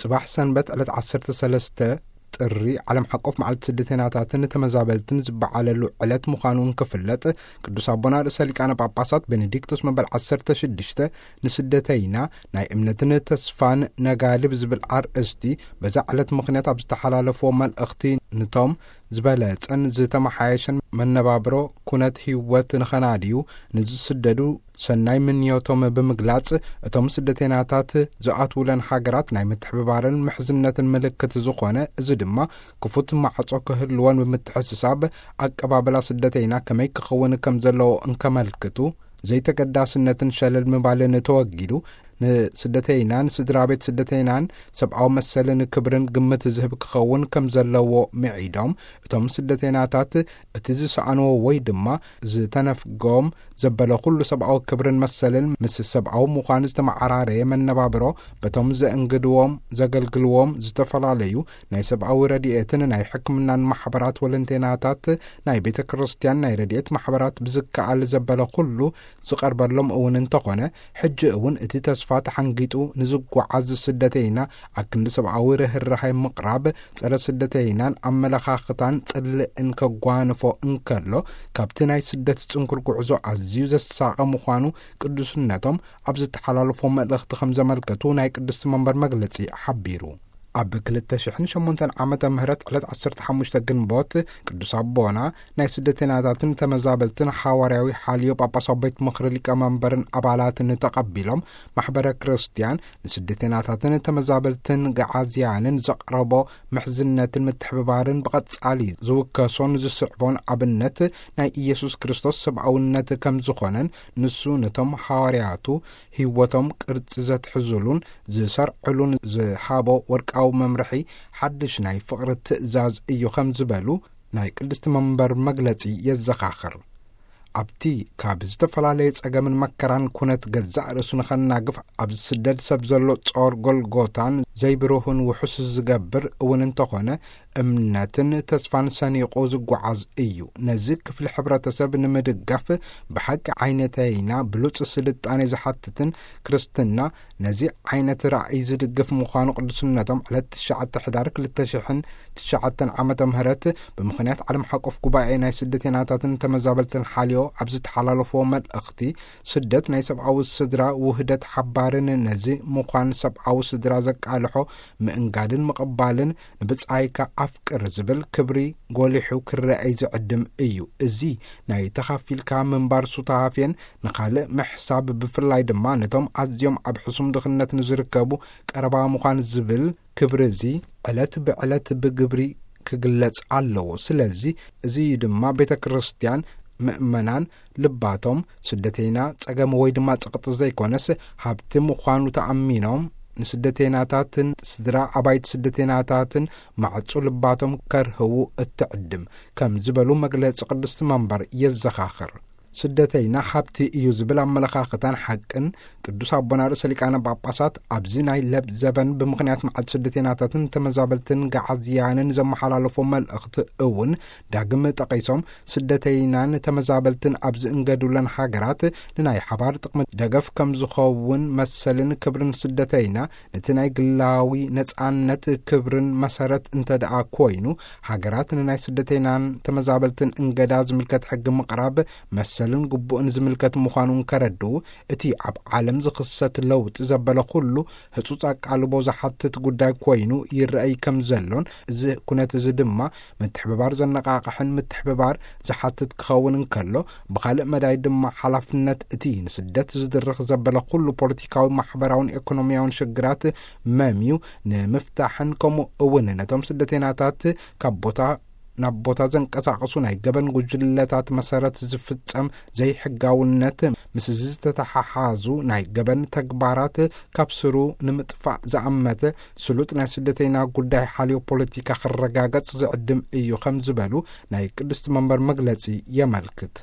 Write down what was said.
ጽባሕ ሰንበት ዕለት ዓሰርተ ሰለስተ ጥሪ ዓለም ሓቆፍ መዓልቲ ስደተይናታትን ተመዛበልትን ዝበዓለሉ ዕለት ምዃኑ እንክፍለጥ፣ ቅዱስ ኣቦና ርእሰ ሊቃነ ጳጳሳት ቤኔዲክቶስ መበል ዓሰርተ ሽዱሽተ ንስደተይና ናይ እምነትን ተስፋን ነጋሊ ብዝብል ኣርእስቲ በዛ ዕለት ምኽንያት ኣብ ዝተሓላለፍዎ መልእኽቲ፣ ንቶም ዝበለጸን ዝተመሓየሸን መነባብሮ ኩነት ህይወት ንኸናድዩ ንዝስደዱ ሰናይ ምንዮቶም ብምግላጽ፣ እቶም ስደተይናታት ዝኣትውለን ሃገራት ናይ ምትሕብባርን ምሕዝነትን ምልክት ዝኾነ፣ እዚ ድማ ክፉት ማዕጾ ክህልወን ብምትሕስሳብ፣ ኣቀባብላ ስደተይና ከመይ ክኸውን ከም ዘለዎ እንከመልክቱ፣ ዘይተገዳስነትን ሸለል ምባልን ተወጊዱ፣ ንስደተይናን ስድራ ቤት ስደተይናን ሰብኣዊ መሰልን ክብርን ግምት ዝህብ ክኸውን ከም ዘለዎ ምዒዶም፣ እቶም ስደተይናታት እቲ ዝሰኣንዎ ወይ ድማ ዝተነፍጎም ዘበለ ኩሉ ሰብኣዊ ክብርን መሰልን ምስ ሰብኣዊ ምዃኑ ዝተመዓራረየ መነባብሮ በቶም ዘእንግድዎም፣ ዘገልግልዎም ዝተፈላለዩ ናይ ሰብኣዊ ረድኤትን ናይ ሕክምናን ማሕበራት ወለንቴናታት ናይ ቤተ ክርስቲያን ናይ ረድኤት ማሕበራት ብዝከኣል ዘበለ ኩሉ ዝቐርበሎም እውን እንተኾነ፣ ሕጂ እውን እቲ ተስፋ ተሓንጊጡ ንዝጓዓዝ ስደተይና ኣክንዲ ሰብኣዊ ርህራሄ ምቕራብ፣ ጸረ ስደተይናን ኣመለኻኽታን ጽልእን ከጓንፎ እንከሎ፣ ካብቲ ናይ ስደት ጽንኩር ጉዕዞ ኣዝዩ ዘሳቐ ምዃኑ ቅዱስነቶም ኣብ ዝተሓላለፎ መልእኽቲ ከም ዘመልከቱ ናይ ቅድስቲ መንበር መግለጺ ሓቢሩ። ኣብ ክልተ ሽሕን ሸሞንተን ዓመተ ምህረት ዕለት ዓሰርተ ሓሙሽተ ግንቦት ቅዱስ ኣቦና ናይ ስደተይናታትን ተመዛበልትን ሓዋርያዊ ሓልዮ ጳጳሳዊ ቤት ምኽሪ ሊቀመንበርን ኣባላትን ተቐቢሎም፣ ማሕበረ ክርስቲያን ንስደተይናታትን ተመዛበልትን ገዓዝያንን ዘቕረቦ ምሕዝነትን ምትሕብባርን ብቐጻሊ ዝውከሶን ዝስዕቦን ኣብነት ናይ ኢየሱስ ክርስቶስ ሰብኣውነት ከም ዝኾነን፣ ንሱ ነቶም ሃዋርያቱ ህይወቶም ቅርጺ ዘትሕዙሉን ዝሰርዕሉን ዝሃቦ ወርቃዊ መምርሒ ሓድሽ ናይ ፍቕሪ ትእዛዝ እዩ ከም ዝበሉ ናይ ቅድስቲ መንበር መግለጺ የዘኻኽር። ኣብቲ ካብ ዝተፈላለየ ጸገምን መከራን ኩነት ገዛእ ርእሱ ንኸናግፍ ኣብ ዝስደድ ሰብ ዘሎ ጾር ጎልጎታን ዘይብሩህን ውሑስ ዝገብር እውን እንተኾነ፣ እምነትን ተስፋን ሰኒቑ ዝጓዓዝ እዩ። ነዚ ክፍሊ ሕብረተሰብ ንምድጋፍ ብሓቂ ዓይነተይና ብሉጽ ስልጣኔ ዝሓትትን ክርስትና ነዚ ዓይነት ራእይ ዝድግፍ ምዃኑ ቅዱስነቶም ዕለት ትሽዓተ ሕዳር ክልተ ሽሕን ትሽዓተን ዓመተ ምህረት ብምኽንያት ዓለም ሓቆፍ ጉባኤ ናይ ስደተይናታትን ተመዛበልትን ሓልዮ ኣብ ዝተሓላለፍዎ መልእኽቲ፣ ስደት ናይ ሰብኣዊ ስድራ ውህደት ሓባርን ነዚ ምዃን ሰብኣዊ ስድራ ዘቃልሖ ምእንጋድን ምቕባልን ንብጻይካ ኣፍቅር ዝብል ክብሪ ጎሊሑ ክረኣይ ዝዕድም እዩ። እዚ ናይ ተኻፊልካ ምንባር ሱታፌን ንኻልእ ምሕሳብ፣ ብፍላይ ድማ ነቶም ኣዝዮም ኣብ ሕሱም ድኽነት ንዝርከቡ ቀረባ ምዃን ዝብል ክብሪ እዚ ዕለት ብዕለት ብግብሪ ክግለጽ ኣለዎ። ስለዚ እዚ እዩ ድማ ቤተ ክርስቲያን ምእመናን ልባቶም ስደተይና ጸገም ወይ ድማ ጸቕጢ ዘይኮነስ ሃብቲ ምዃኑ ተኣሚኖም ንስደተይናታትን ስድራ ኣባይቲ ስደተይናታትን ማዕጹ ልባቶም ከርህዉ እትዕድም ከም ዝበሉ መግለጺ ቅድስቲ መንበር የዘኻኽር። ስደተይና ሃብቲ እዩ ዝብል ኣመለኻኽታን ሓቅን ቅዱስ ኣቦና ርእሰ ሊቃነ ጳጳሳት ኣብዚ ናይ ለብ ዘበን ብምኽንያት መዓልቲ ስደተይናታትን ተመዛበልትን ገዓዝያንን ዘመሓላለፎ መልእኽቲ እውን ዳግም ጠቒሶም፣ ስደተይናን ተመዛበልትን ኣብ ዝእንገዱለን ሃገራት ንናይ ሓባር ጥቕሚ ደገፍ ከም ዝኸውን መሰልን ክብርን ስደተይና ነቲ ናይ ግላዊ ነጻነት ክብርን መሰረት እንተ ደኣ ኮይኑ፣ ሃገራት ንናይ ስደተይናን ተመዛበልትን እንገዳ ዝምልከት ሕጊ ምቕራብ መሰልን ግቡእን ዝምልከት ምዃኑ እንከረድኡ፣ እቲ ኣብ ዓለም ዝኽሰት ለውጢ ዘበለ ኩሉ ህጹጽ ኣቃልቦ ዝሓትት ጉዳይ ኮይኑ ይረኣይ ከም ዘሎን፣ እዚ ኩነት እዚ ድማ ምትሕብባር ዘነቓቕሕን ምትሕብባር ዝሓትት ክኸውን እንከሎ፣ ብኻልእ መዳይ ድማ ሓላፍነት እቲ ንስደት ዝድርኽ ዘበለ ኩሉ ፖለቲካዊ፣ ማሕበራውን ኤኮኖሚያውን ሽግራት መምዩ ንምፍታሕን፣ ከምኡ እውን ነቶም ስደተይናታት ካብ ቦታ ናብ ቦታ ዘንቀሳቕሱ ናይ ገበን ጉጅለታት መሰረት ዝፍጸም ዘይሕጋውነት ምስ ዝተተሓሓዙ ናይ ገበን ተግባራት ካብ ስሩ ንምጥፋእ ዝኣመተ ስሉጥ ናይ ስደተይና ጉዳይ ሓልዮ ፖለቲካ ክረጋገጽ ዝዕድም እዩ ከም ዝበሉ ናይ ቅድስቲ መንበር መግለጺ የመልክት።